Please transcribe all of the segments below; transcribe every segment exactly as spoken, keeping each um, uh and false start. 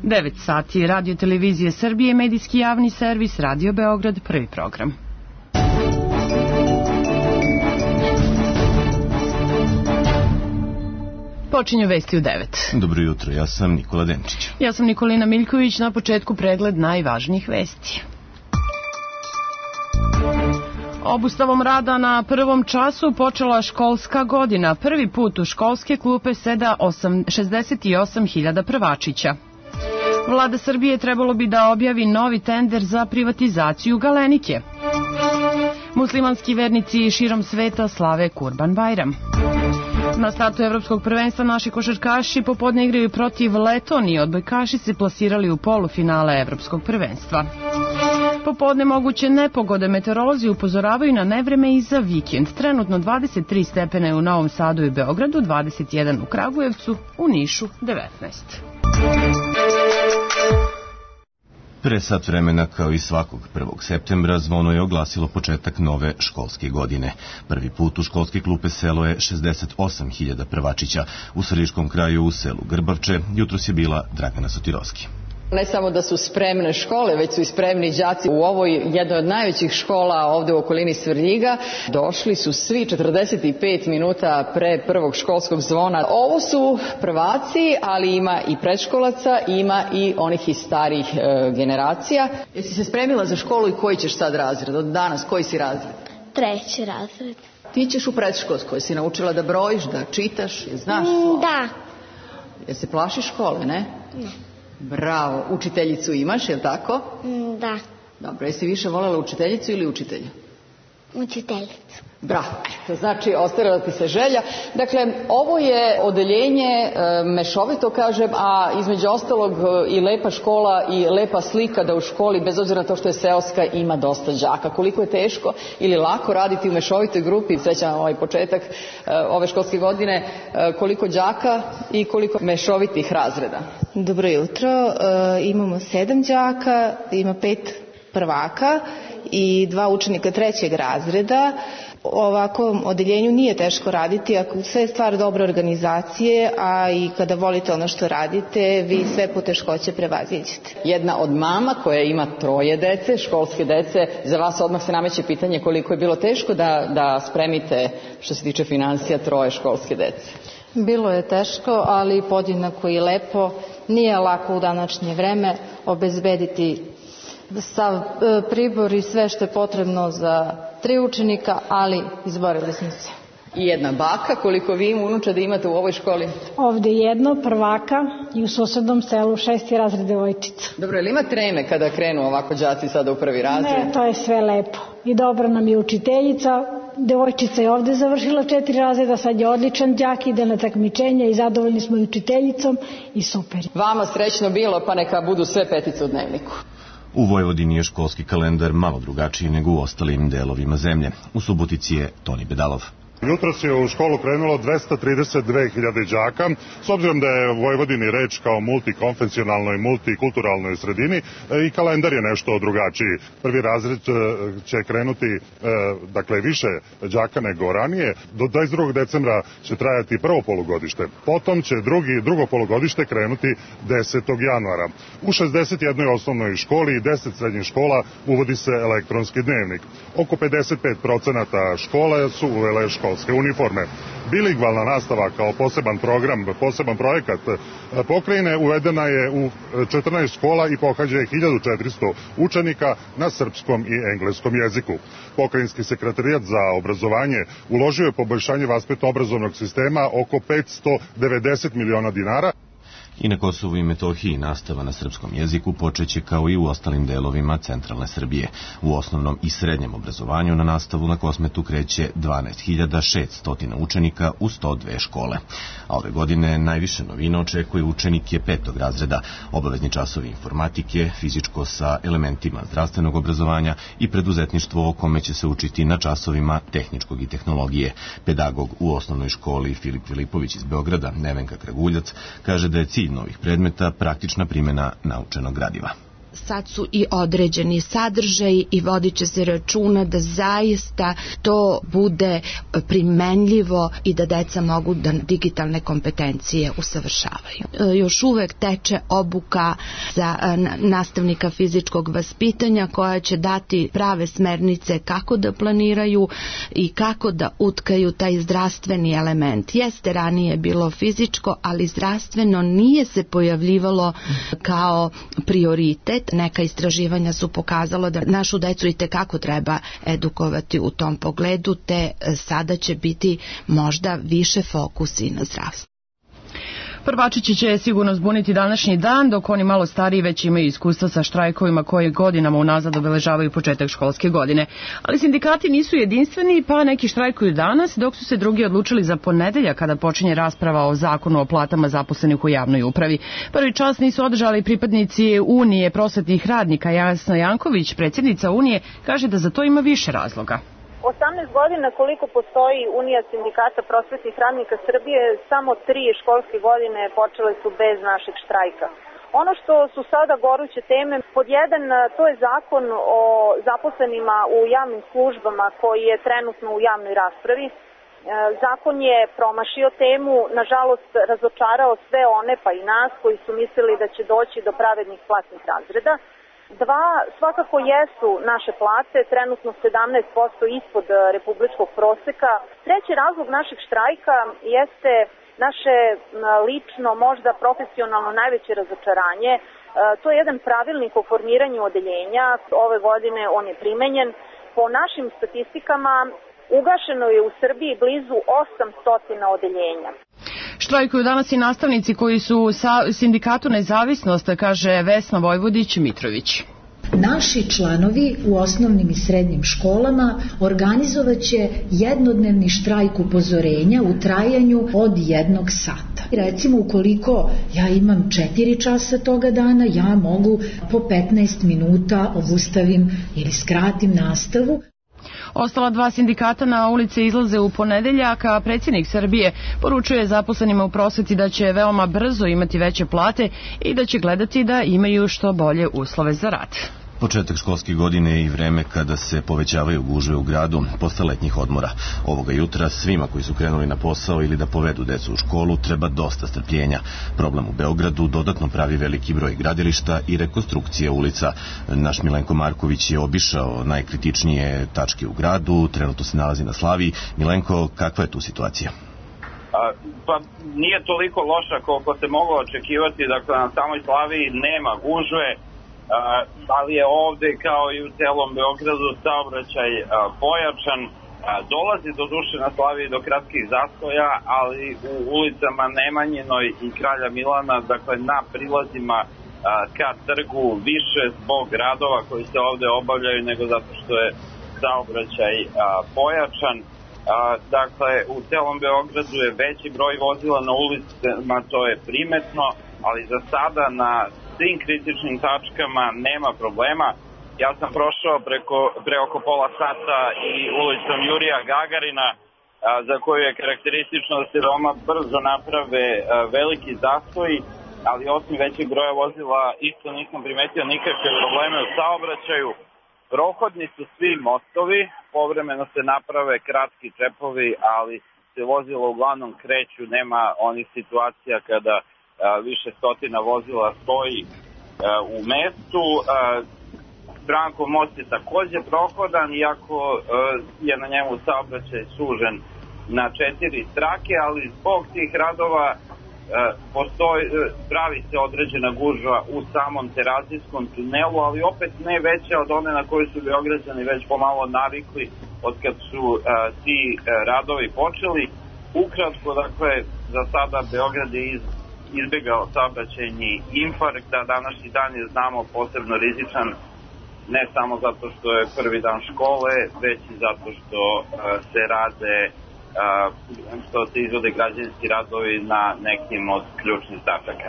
devet sati, Radio Televizije Srbije, medijski javni servis, Radio Beograd, prvi program. Počinju vesti u devet. Dobro jutro, ja sam Nikola Denčić. Ja sam Nikolina Miljković, na početku pregled najvažnijih vesti. Obustavom rada na prvom času počela školska godina. Prvi put u školske klupe seda šezdeset osam hiljada prvačića. Vlada Srbije trebalo bi da objavi novi tender za privatizaciju Galenike. Muslimanski vernici širom sveta slave Kurban Bajram. Na startu evropskog prvenstva naši košarkaši popodne igraju protiv Letonije. Odbojkaši se plasirali u polufinale evropskog prvenstva. Popodne moguće nepogode, meteorolozi upozoravaju na nevreme i za vikend. Trenutno dvadeset tri stepene u Novom Sadu i Beogradu, dvadeset jedan u Kragujevcu, u Nišu devetnaest. Pre sat vremena, kao i svakog prvog septembra, zvono je oglasilo početak nove školske godine. Prvi put u školske klupe selo je šezdeset osam hiljada prvačića. U Središkom kraju u selu Grbavče jutros je bila Dragana Sotirovski. Ne samo da su spremne škole, već su i spremni đaci u ovoj jednoj od najvećih škola ovde u okolini Svrljiga. Došli su svi četrdeset pet minuta pre prvog školskog zvona. Ovo su prvaci, ali ima i predškolaca, ima i onih iz starijih e, generacija. Jesi se spremila za školu i koji ćeš sad razred? Od danas koji si razred? Treći razred. Ti ćeš u predškolskoj, si naučila da brojiš, da čitaš, je znaš slovo? Da. Jesi se plašiš škole, ne? Ne. Bravo. Učiteljicu imaš, je li tako? Da. Dobro, jesi više voljela učiteljicu ili učitelja? Učiteljicu. Bravo. To znači, ostala ti se želja. Dakle, ovo je odeljenje, e, mešovito kažem, a između ostalog i lepa škola i lepa slika da u školi, bez obzira na to što je seoska, ima dosta đaka. Koliko je teško ili lako raditi u mešovitoj grupi, srećam ovaj početak e, ove školske godine, e, koliko đaka i koliko mešovitih razreda? Dobro jutro, e, imamo sedam đaka, ima pet prvaka i dva učenika trećeg razreda. Ovakvom odeljenju nije teško raditi, ako sve je stvar dobre organizacije, a i kada volite ono što radite, vi sve poteškoće prevaziđete. Jedna od mama koja ima troje dece, školske dece, za vas odmah se nameće pitanje koliko je bilo teško da, da spremite, što se tiče finansija, troje školske dece. Bilo je teško, ali podjednako i lepo. Nije lako u današnje vreme obezbediti sav pribor i sve što je potrebno za tri učenika, ali izborili smo se. I jedna baka, koliko vi unuča da imate u ovoj školi? Ovde jedno, prvaka, i u susednom selu šesti razred devojčica. Dobro, ili ima treme kada krenu ovako đaci sada u prvi razred? Ne, to je sve lepo. I dobra nam je učiteljica, devojčica je ovde završila četiri razreda, sad je odličan đak, ide na takmičenje i zadovoljni smo i učiteljicom i super. Vama srećno bilo, pa neka budu sve petice u dnevniku. U Vojvodini je školski kalendar malo drugačiji nego u ostalim delovima zemlje. U Subotici je Toni Bedalov. Jutros je u školu krenulo dvesta trideset dve hiljade đaka. S obzirom da je u Vojvodini reč kao multikonfesionalnoj, multikulturalnoj sredini, i kalendar je nešto drugačiji. Prvi razred će krenuti, dakle, više đaka nego ranije. Do dvadeset drugog decembra će trajati prvo polugodište. Potom će drugi, drugo polugodište krenuti desetog januara. U šezdeset jednoj osnovnoj školi i deset srednjih škola uvodi se elektronski dnevnik. Oko pedeset pet procenata škola su uvele školske uniforme. Bilingvalna nastava kao poseban program, poseban projekat pokrajine uvedena je u četrnaest škola i pohađa je hiljadu četiristo učenika na srpskom i engleskom jeziku. Pokrajinski sekretarijat za obrazovanje uložio je poboljšanje vaspitno-obrazovnog sistema oko petsto devedeset miliona dinara. I na Kosovu i Metohiji nastava na srpskom jeziku počeće kao i u ostalim delovima centralne Srbije. U osnovnom i srednjem obrazovanju na nastavu na Kosmetu kreće dvanaest hiljada šeststo učenika u sto dve škole. A ove godine najviše novina očekuje učenike petog razreda, obavezni časovi informatike, fizičko sa elementima zdravstvenog obrazovanja i preduzetništvo o kome će se učiti na časovima tehničkog i tehnologije. Pedagog u osnovnoj školi Filip Filipović iz Beograda, Nevenka Kraguljac, kaže da je cilj novih predmeta praktična primjena naučenog gradiva. sad su i određeni sadržaji i vodit će se računa da zaista to bude primenljivo i da deca mogu da digitalne kompetencije usavršavaju. Još uvek teče obuka za nastavnika fizičkog vaspitanja koja će dati prave smernice kako da planiraju i kako da utkaju taj zdravstveni element. Jeste ranije bilo fizičko, ali zdravstveno nije se pojavljivalo kao prioritet. Neka istraživanja su pokazala da našu decu i tekako treba edukovati u tom pogledu, te sada će biti možda više fokusi na zdravstvo. Prvačići će sigurno zbuniti današnji dan, dok oni malo stariji već imaju iskustva sa štrajkovima koje godinama unazad obeležavaju početak školske godine. Ali sindikati nisu jedinstveni, pa neki štrajkuju danas, dok su se drugi odlučili za ponedeljak kada počinje rasprava o zakonu o platama zaposlenih u javnoj upravi. Prvi čas nisu održali pripadnici Unije prosvetnih radnika. Jasna Janković, predsjednica Unije, kaže da za to ima više razloga. osamnaest godina koliko postoji Unija sindikata prosvetnih radnika Srbije, samo tri školske godine počele su bez našeg štrajka. Ono što su sada goruće teme, pod jedan, to je zakon o zaposlenima u javnim službama koji je trenutno u javnoj raspravi. Zakon je promašio temu, nažalost razočarao sve one pa i nas koji su mislili da će doći do pravednih platnih razreda. Dva, svakako jesu naše plate, trenutno sedamnaest posto ispod republičkog proseka. Treći razlog našeg štrajka jeste naše lično, možda profesionalno najveće razočaranje. To je jedan pravilnik o formiranju odeljenja. Ove godine on je primenjen. Po našim statistikama ugašeno je u Srbiji blizu osamsto odeljenja. Štrajkuju danas i nastavnici koji su u sindikatu Nezavisnost, kaže Vesna Vojvodić-Mitrović. Naši članovi u osnovnim i srednjim školama organizovaće jednodnevni štrajk upozorenja u trajanju od jednog sata. Recimo, ukoliko ja imam četiri časa toga dana, ja mogu po petnaest minuta obustavim ili skratim nastavu. Ostala dva sindikata na ulice izlaze u ponedeljak, a predsjednik Srbije poručuje zaposlenima u prosveti da će veoma brzo imati veće plate i da će gledati da imaju što bolje uslove za rad. Početak školske godine je i vreme kada se povećavaju gužve u gradu posle letnjih odmora. Ovoga jutra svima koji su krenuli na posao ili da povedu decu u školu treba dosta strpljenja. Problem u Beogradu dodatno pravi veliki broj gradilišta i rekonstrukcije ulica. Naš Milenko Marković je obišao najkritičnije tačke u gradu, trenutno se nalazi na Slaviji. Milenko, kakva je tu situacija? A, pa nije toliko loša koliko se moglo očekivati, dakle na samoj Slaviji nema gužve, Uh, ali je ovde kao i u celom Beogradu saobraćaj uh, pojačan. Uh, dolazi do duše na Slaviji do kratkih zastoja, ali u ulicama Nemanjinoj i Kralja Milana, dakle na prilazima uh, ka trgu, više zbog radova koji se ovde obavljaju nego zato što je saobraćaj uh, pojačan. Uh, dakle, u celom Beogradu je veći broj vozila na ulicama, to je primetno, ali za sada na svim kritičnim tačkama nema problema. Ja sam prošao preko, pre oko pola sata i ulicom Jurija Gagarina, a, za koju je karakteristično da se veoma brzo naprave a, veliki zastoji, ali osim većeg broja vozila isto nisam primetio nikakve probleme u saobraćaju. Prohodni su svi mostovi, povremeno se naprave kratki čepovi, ali se vozila uglavnom kreću, nema onih situacija kada više stotina vozila stoji uh, u mestu. Uh, Brankov most je takođe prohodan, iako uh, je na njemu saobraćaj sužen na četiri trake, ali zbog tih radova uh, postoji, uh, pravi se određena gužva u samom Terazijskom tunelu, ali opet ne veća od one na koju su Beograđani već pomalo navikli od kad su uh, ti uh, radovi počeli. Ukratko, dakle, za sada Beograd je iz izbjegao saobraćajni infarkt, a današnji dan je, znamo, posebno rizičan, ne samo zato što je prvi dan škole, već i zato što uh, se rade, uh, što se izvode građevinski radovi na nekim od ključnih tačaka.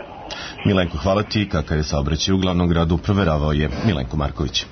Milenko, hvala ti. Kakav je saobraćaj u glavnom gradu, proveravao je Milenko Marković.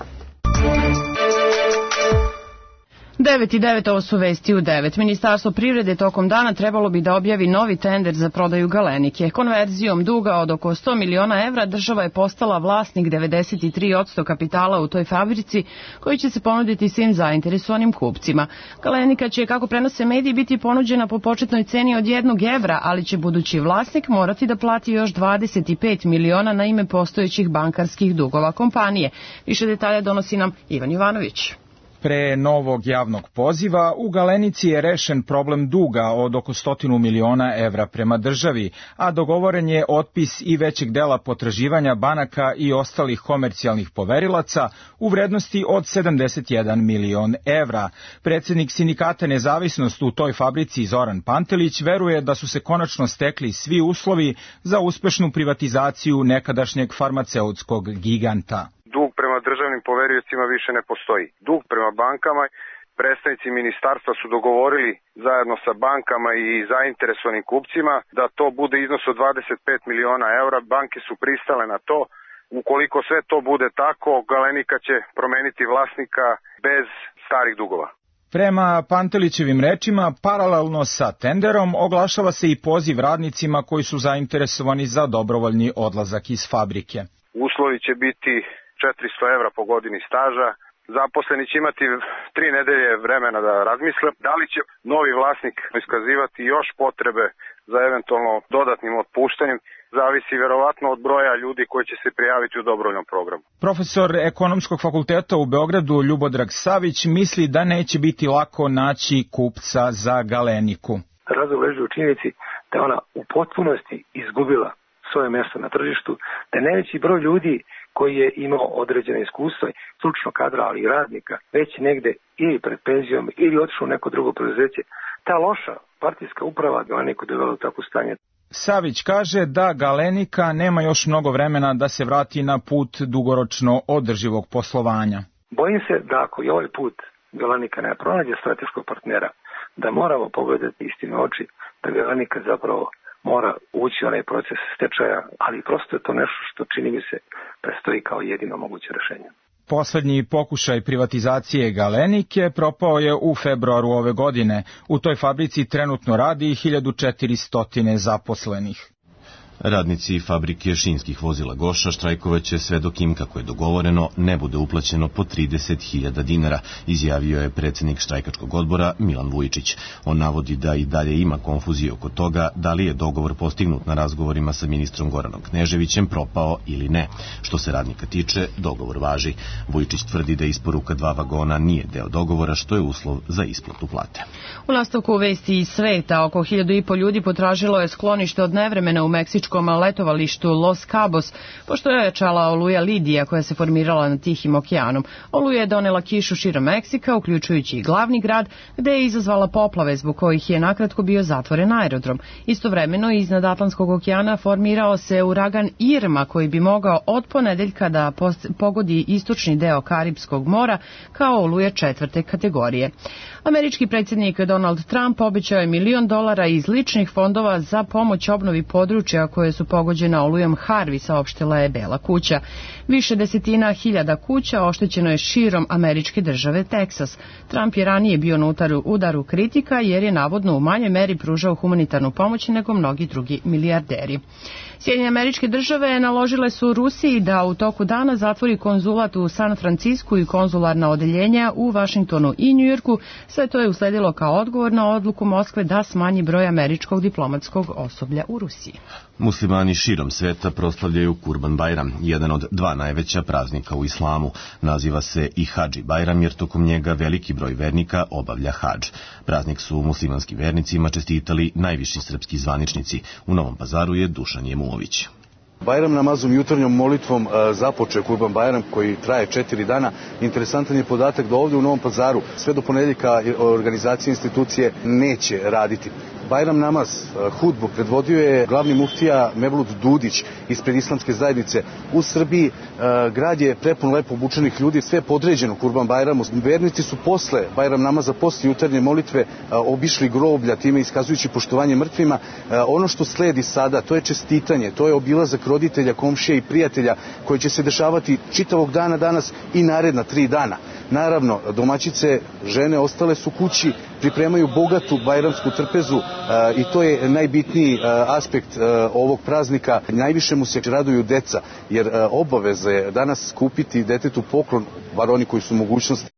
devet i devet, ovo su vesti u devet. Ministarstvo privrede tokom dana trebalo bi da objavi novi tender za prodaju Galenike. Konverzijom duga od oko sto miliona evra država je postala vlasnik devedeset tri posto kapitala u toj fabrici koji će se ponuditi svim zainteresovanim kupcima. Galenika će, kako prenose mediji, biti ponuđena po početnoj ceni od jednog evra, ali će budući vlasnik morati da plati još dvadeset pet miliona na ime postojećih bankarskih dugova kompanije. Više detalja donosi nam Ivan Jovanović. Pre novog javnog poziva u Galenici je rešen problem duga od oko stotinu miliona evra prema državi, a dogovoren je otpis i većeg dela potraživanja banaka i ostalih komercijalnih poverilaca u vrednosti od sedamdeset jedan milion evra. Predsednik sindikata Nezavisnost u toj fabrici Zoran Pantelić veruje da su se konačno stekli svi uslovi za uspešnu privatizaciju nekadašnjeg farmaceutskog giganta. Dug prema državnim poveriocima više ne postoji. Dug prema bankama, predstavnici ministarstva su dogovorili zajedno sa bankama i zainteresovanim kupcima da to bude iznos od dvadeset pet miliona evra. Banke su pristale na to. Ukoliko sve to bude tako, Galenika će promeniti vlasnika bez starih dugova. Prema Pantelićevim rečima, paralelno sa tenderom oglašava se i poziv radnicima koji su zainteresovani za dobrovoljni odlazak iz fabrike. Uslovi će biti četiristo evra po godini staža. Zaposleni će imati tri nedelje vremena da razmisle da li će novi vlasnik iskazivati još potrebe za eventualno dodatnim otpuštanjem. Zavisi verovatno od broja ljudi koji će se prijaviti u dobrovoljnom programu. Profesor Ekonomskog fakulteta u Beogradu Ljubodrag Savić misli da neće biti lako naći kupca za Galeniku. Razlog leži u činjenici da ona u potpunosti izgubila svoje mjesto na tržištu, da je najveći broj ljudi koji je imao određene iskustva, stručno kadra, ali i radnika, već negde ili pred penzijom ili otišao u neko drugo preduzeće. Ta loša partijska uprava Galeniku dovela u takvo stanje. Savić kaže da Galenika nema još mnogo vremena da se vrati na put dugoročno održivog poslovanja. Bojim se da ako i ovaj put Galenika ne pronađe strateškog partnera, da moramo pogledati istinu oči, da Galenika zapravo mora ući u onaj proces stečaja, ali prosto je to nešto što čini mi se prestoji kao jedino moguće rešenje. Poslednji pokušaj privatizacije Galenike propao je u februaru ove godine. U toj fabrici trenutno radi hiljadu četiristo zaposlenih. Radnici fabrike šinskih vozila Goša štrajkovaće sve dok im, kako je dogovoreno, ne bude uplaćeno po trideset hiljada dinara, izjavio je predsednik štrajkačkog odbora Milan Vujičić. On navodi da i dalje ima konfuzije oko toga da li je dogovor postignut na razgovorima sa ministrom Goranom Kneževićem propao ili ne. Što se radnika tiče, dogovor važi. Vujičić tvrdi da isporuka dva vagona nije deo dogovora, što je uslov za isplatu plate. U nastavku vesti iz sveta, oko hiljadu i po ljudi potražilo je sklonište od nevremena u meksičkom letovalištu Los Cabos, pošto je ojačala oluja Lidija koja se formirala na Tihim okeanom. Oluja je donela kišu širom Meksika, uključujući i glavni grad, gde je izazvala poplave zbog kojih je nakratko bio zatvoren aerodrom. Istovremeno iznad Atlantskog okeana formirao se uragan Irma koji bi mogao od ponedeljka da pogodi istočni deo Karipskog mora kao oluja četvrte kategorije. Američki predsjednik Donald Trump obećao je milion dolara iz ličnih fondova za pomoć obnovi područja koje su pogođena olujom Harvey, saopštila je Bela kuća. Više desetina hiljada kuća oštećeno je širom američke države Teksas. Trump je ranije bio na udaru kritika jer je navodno u manjoj meri pružao humanitarnu pomoć nego mnogi drugi milijarderi. Sjedinjene Američke Države naložile su Rusiji da u toku dana zatvori konzulat u San Francisku i konzularna odeljenja u Vašingtonu i Njujorku. Sve to je usledilo kao odgovor na odluku Moskve da smanji broj američkog diplomatskog osoblja u Rusiji. Muslimani širom sveta proslavljaju Kurban Bajram, jedan od dva najveća praznika u islamu. Naziva se i Hadži Bajram jer tokom njega veliki broj vernika obavlja hadž. Praznik su muslimanskim vernicima čestitali najviši srpski zvaničnici. U Novom Pazaru je Dušan Jemulović. Bajram namazom jutarnjom molitvom započeo Kurban Bajram koji traje četiri dana. Interesantan je podatak da ovdje u Novom Pazaru sve do ponedeljka organizacije institucije neće raditi. Bajram namaz, hudbu, predvodio je glavni muftija Mevlut Dudić ispred islamske zajednice. U Srbiji grad je prepun lepo obučenih ljudi, sve je podređeno Kurban Bajramu. Vernici su posle Bajram namaza, posle jutarnje molitve obišli groblja, time iskazujući poštovanje mrtvima. Ono što sledi sada, to je čestitanje, to je obilazak roditelja, komšija i prijatelja koji će se dešavati čitavog dana danas i naredna tri dana. Naravno, domaćice, žene, ostale su kući, pripremaju bogatu bajramsku trpezu i to je najbitniji aspekt ovog praznika. Najviše mu se raduju deca, jer obaveza je danas kupiti detetu poklon, bar oni koji su mogućnosti.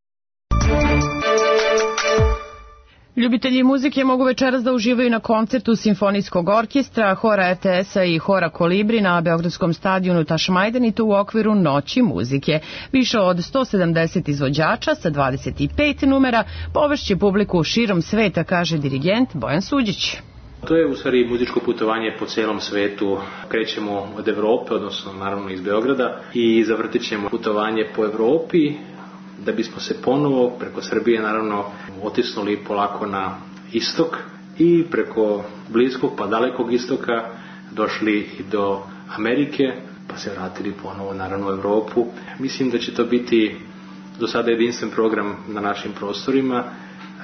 Ljubitelji muzike mogu večeras da uživaju na koncertu Simfonijskog orkestra, hora R T S-a i hora Kolibri na Beogradskom stadionu Tašmajdan i to u okviru Noći muzike. Više od sto sedamdeset izvođača sa dvadeset pet numera povešće publiku širom sveta, kaže dirigent Bojan Suđić. To je u stvari muzičko putovanje po celom svetu. Krećemo od Evrope, odnosno naravno iz Beograda, i zavrtit ćemo putovanje po Evropi, da bismo se ponovo preko Srbije naravno otisnuli polako na istok i preko bliskog pa dalekog istoka došli i do Amerike, pa se vratili ponovo naravno u Evropu. Mislim da će to biti do sada jedinstven program na našim prostorima.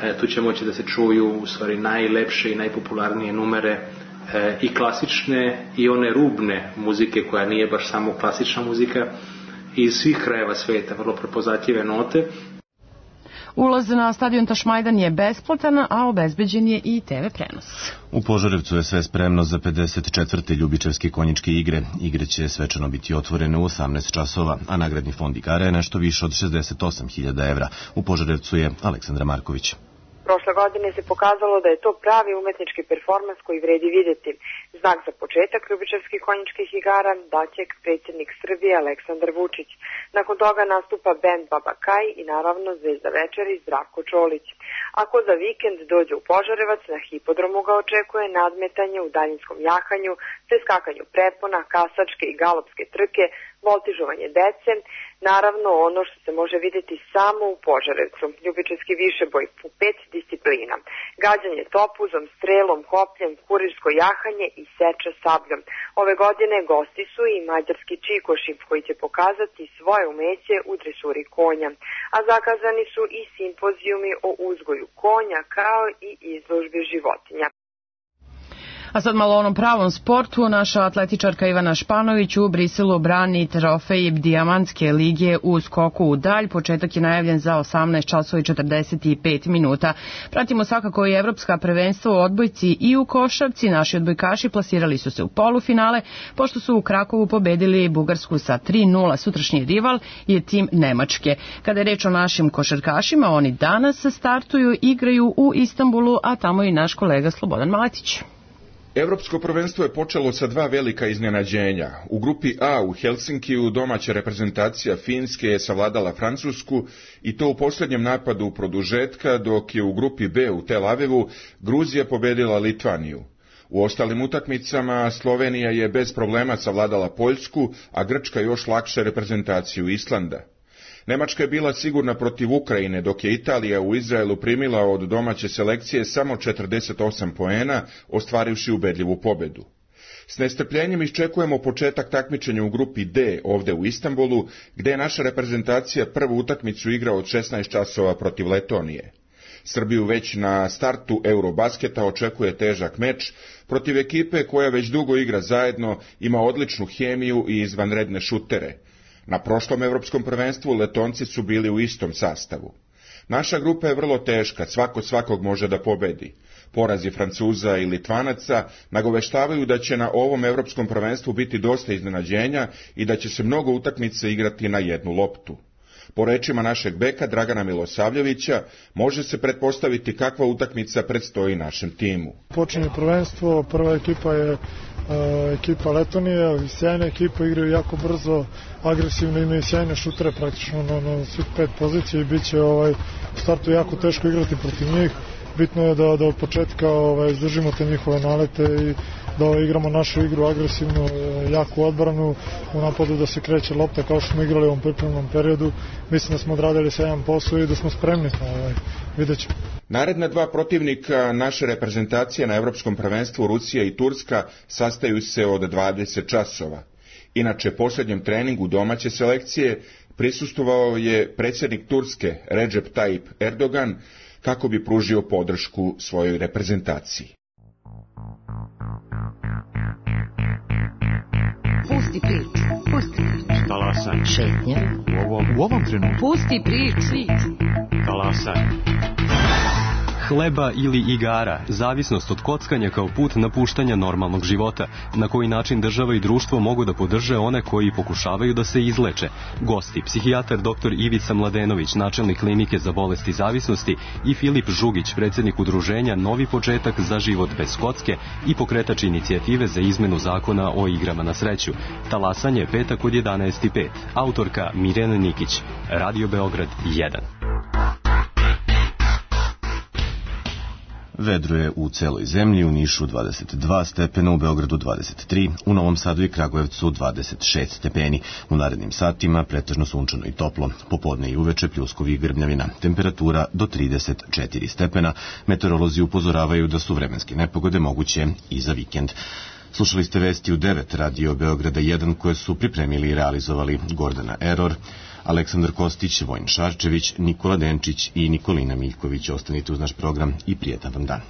E, tu će moći da se čuju u stvari najlepše i najpopularnije numere e, i klasične i one rubne muzike koja nije baš samo klasična muzika, iz svih krajeva sveta, vrlo prepoznatljive note. Ulaz na stadion Tašmajdan je besplatan, a obezbeđen je i te ve prenos. U Požarevcu je sve spremno za pedeset četvrte ljubičevske konjičke igre. Igre će svečano biti otvorene u osamnaest časova, a nagradni fond igara je nešto više od šezdeset osam hiljada evra. U Požarevcu je Aleksandra Marković. Prošle godine se pokazalo da je to pravi umetnički performans koji vredi vidjeti. Znak za početak ljubičevskih konjičkih igara daće predsjednik Srbije Aleksandar Vučić. Nakon toga nastupa bend Baba Kaj i naravno zvezda večeri Zdravko Čolić. Ako za vikend dođe u Požarevac, na hipodromu ga očekuje nadmetanje u daljinskom jahanju, preskakanju prepona, kasačke i galopske trke, voltižovanje dece, naravno ono što se može vidjeti samo u Požarevcu, ljubičevski višeboj u pet disciplina, gađanje topuzom, strelom, kopljem, kurirsko jahanje i seča sabljom. Ove godine gosti su i mađarski čikoši koji će pokazati svoje umeće u dresuri konja, a zakazani su i simpozijumi o uzgoju konja kao i izložbe životinja. A sad malo o onom pravom sportu. Naša atletičarka Ivana Španović u Briselu brani trofej Dijamantske lige u skoku u dalj. Početak je najavljen za osamnaest časova i četrdeset pet minuta. Pratimo svakako i evropska prvenstva u odbojci i u košarci. Naši odbojkaši plasirali su se u polufinale, pošto su u Krakovu pobedili Bugarsku sa tri nula. Sutrašnji rival je tim Nemačke. Kada je reč o našim košarkašima, oni danas startuju, igraju u Istanbulu, a tamo i naš kolega Slobodan Maletić. Evropsko prvenstvo je počelo sa dva velika iznenađenja. U grupi A u Helsinkiju domaća reprezentacija Finske je savladala Francusku i to u posljednjem napadu produžetka, dok je u grupi B u Tel Avivu Gruzija pobedila Litvaniju. U ostalim utakmicama Slovenija je bez problema savladala Poljsku, a Grčka još lakše reprezentaciju Islanda. Nemačka je bila sigurna protiv Ukrajine, dok je Italija u Izraelu primila od domaće selekcije samo četrdeset osam poena, ostvarivši ubedljivu pobedu. S nestrpljenjem iščekujemo početak takmičenja u grupi D ovdje u Istanbulu, gdje je naša reprezentacija prvu utakmicu igra od šesnaest časova protiv Letonije. Srbiju već na startu Eurobasketa očekuje težak meč protiv ekipe koja već dugo igra zajedno, ima odličnu hemiju i izvanredne šutere. Na prošlom evropskom prvenstvu Letonci su bili u istom sastavu. Naša grupa je vrlo teška, svako svakog može da pobedi. Porazi Francuza i Litvanaca nagoveštavaju da će na ovom evropskom prvenstvu biti dosta iznenađenja i da će se mnogo utakmica igrati na jednu loptu. Po rečima našeg beka Dragana Milosavljevića, može se pretpostaviti kakva utakmica predstoji našem timu. Počinje prvenstvo, prva ekipa je Uh, ekipa Letonije, sjajna ekipa, igraju jako brzo, agresivno, imaju sjajne šutere praktično na, na svih pet pozicija i bit će ovaj, u startu jako teško igrati protiv njih. Bitno je da, da od početka ovaj, izdržimo te njihove nalete i da ovaj, igramo našu igru agresivnu, jaku odbranu, u napadu da se kreće lopta kao što smo igrali u ovom pripremnom periodu. Mislim da smo odradili sjajan posao i da smo spremni, ovaj, vidjet ćemo. Naredna dva protivnika naše reprezentacije na evropskom prvenstvu, Rusija i Turska, sastaju se od dvadeset časova. Inače, posljednjem treningu domaće selekcije prisustvovao je predsjednik Turske Recep Tayyip Erdogan kako bi pružio podršku svojoj reprezentaciji. Pusti priču, pusti priču. Talasa Talasaj. Šetnja. U ovom, u ovom trenutku. Pusti priču. Talasaj. Hleba ili igara, zavisnost od kockanja kao put napuštanja normalnog života, na koji način država i društvo mogu da podrže one koji pokušavaju da se izleče. Gosti, psihijatar doktor Ivica Mladenović, načelnik klinike za bolesti zavisnosti, i Filip Žugić, predsjednik udruženja Novi početak za život bez kocke i pokretač inicijative za izmenu zakona o igrama na sreću. Talasanje petak od jedanaest i pet. Autorka Mirjana Nikić. Radio Beograd jedan. Vedro je u celoj zemlji, u Nišu dvadeset dva stepena, u Beogradu dvadeset tri, u Novom Sadu i Kragujevcu dvadeset šest stepeni. U narednim satima pretežno sunčano i toplo, popodne i uveče pljuskovi i grmljavina. Temperatura do trideset četiri stepena. Meteorolozi upozoravaju da su vremenske nepogode moguće i za vikend. Slušali ste vesti u devet Radio Beograda jedan koje su pripremili i realizovali Gordana Eror, Aleksandar Kostić, Vojin Šarčević, Nikola Denčić i Nikolina Miljković. Ostanite uz naš program i prijetan vam dan.